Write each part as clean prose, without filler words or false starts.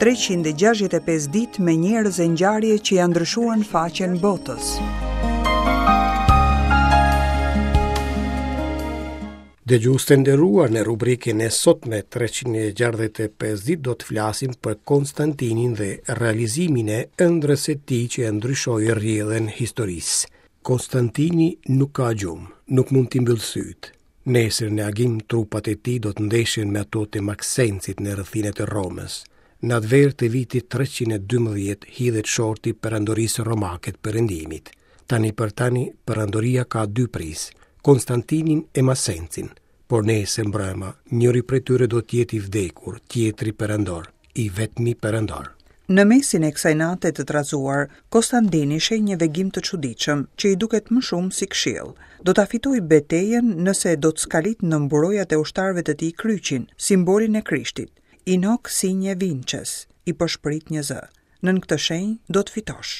365 ditë me njerëz e ngjarje që ia ndryshuan faqen botës. Dëgjues të nderuar në rubrikën e sotme 365 ditë do të flasim për Konstantinin dhe realizimin e ëndrrës së tij që e ndryshoi rrjedhën e historisë. Konstantini nuk ka gjumë, nuk mund t'i mbyllë sytë. Nesër në agim trupat e tij do të ndeshen me ato të Maksencit në rrethinat e Romës. Në atë verë të vitit 312 hidhet shorti perandorisë romake të perëndimit. Tani për tani, perandoria ka dy prijës, Konstantinin e Masencin, por nesër mbrëma, njëri prej tyre do të jetë i vdekur, tjetri perandor, i vetmi perandor. Në mesin e kësaj nate të trazuar, Kostandini sheh një vegim të çuditshëm, që i duket më shumë si këshillë. Do ta fitojë betejën nëse do të skalitë në mburojat e ushtarëve të tij kryqin, simbolin e Krishtit. In hoc signe vinces, i pëshpërit një zë. Nën këtë shenjë do të fitosh.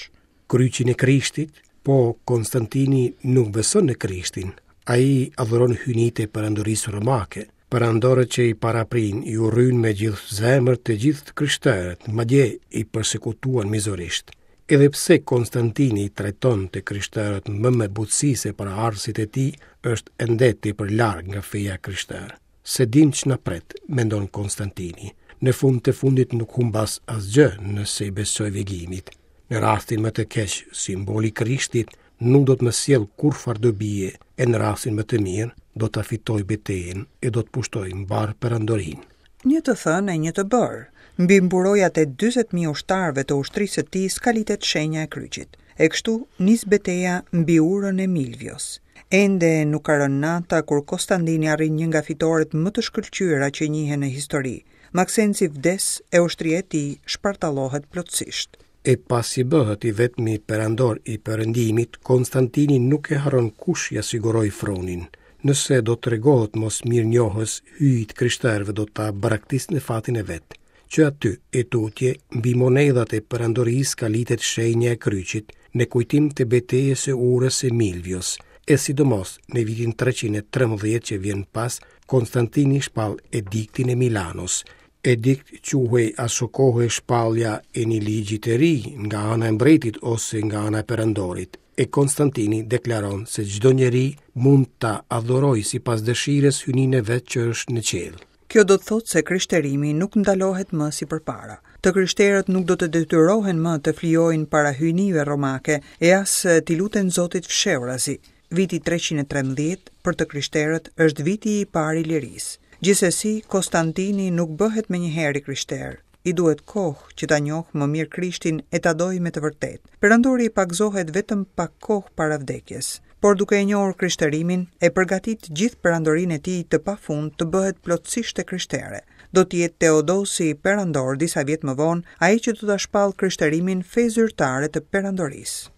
Kryqin e Krishtit? Po Konstantini nuk beson në Krishtin. Ai adhuron hyjnitë e perandorisë romake. Perandorët që i paraprinë i urryen me gjithë zemër të gjithë të krishterët, madje i persekutuan mizorisht. Edhe pse Konstantini i trajton të krishterët më me butësi se paraardhësit e tij, është ende tepër larg nga feja e krishterë. S'e dimë ç'na pret, mendon Konstantini. Në fund të fundit nuk humbas asgjë nëse i besoj vegimit. Në rastin më të keq, simboli i Krishtit nuk do të më sjellë kurrfarë dobie, e në rastin më të mirë, do ta fitoj betejën e do të pushtoj mbarë perandorinë. Një të thënë e një të bërë. Mbi mburojat e 40.000 ushtarëve të ushtrisë së tij skalitet shenja e kryqit. E kështu nis beteja mbi urën e Milvios. Ende nuk ka rënë nata kur Kostandini arrin një nga fitoret më të shkëlqyera që njihen në histori. Maksenci vdes e ushtria e tij shpartallohet plotësisht. E pasi bëhet i vetmi perandor i Perëndimit, Konstantini nuk e harron kush ia siguroi fronin. Nëse do të tregohet mosmirënjohës, hyjtë e krishterëve do ta braktisë në fatin e vet. Që aty e tutje, mbi monedhat e perandorisë skalitet shenja e kryqit, në kujtim të betejës së urës së Milvios, e sidomos në vitin 313 që vjen pas, Konstantini shpall Ediktin e Milanos. Edikt quhej asokohe shpallja e një ligji të ri nga ana e mbretit ose nga ana e perandorit, e Konstantini deklaron se çdo njeri mund ta adhurojë sipas dëshirës hyjninë e vet që është në qiell. Kjo do të thotë se krishterimi nuk ndalohet më si përpara. Të krishterët nuk do të detyrohen më të flijojnë para hyjnive romake e as t'i luten Zotit fshehurazi. Viti 313 për të krishterët është viti i parë i lirisë. Gjithsesi, Konstantini nuk bëhet menjëherë i krishterë. I duhet kohë që ta njohë më mirë Krishtin e ta dojë me të vërtetë. Perandori pagëzohet vetëm pak kohë para vdekjes. Por duke e njohur krishterimin, e përgatit gjithë perandorinë e tij të pafund të bëhet plotësisht e krishtere. Do të jetë Teodosi perandor disa vjet më vonë, ai që do ta shpallë krishterimin fe zyrtare të perandorisë.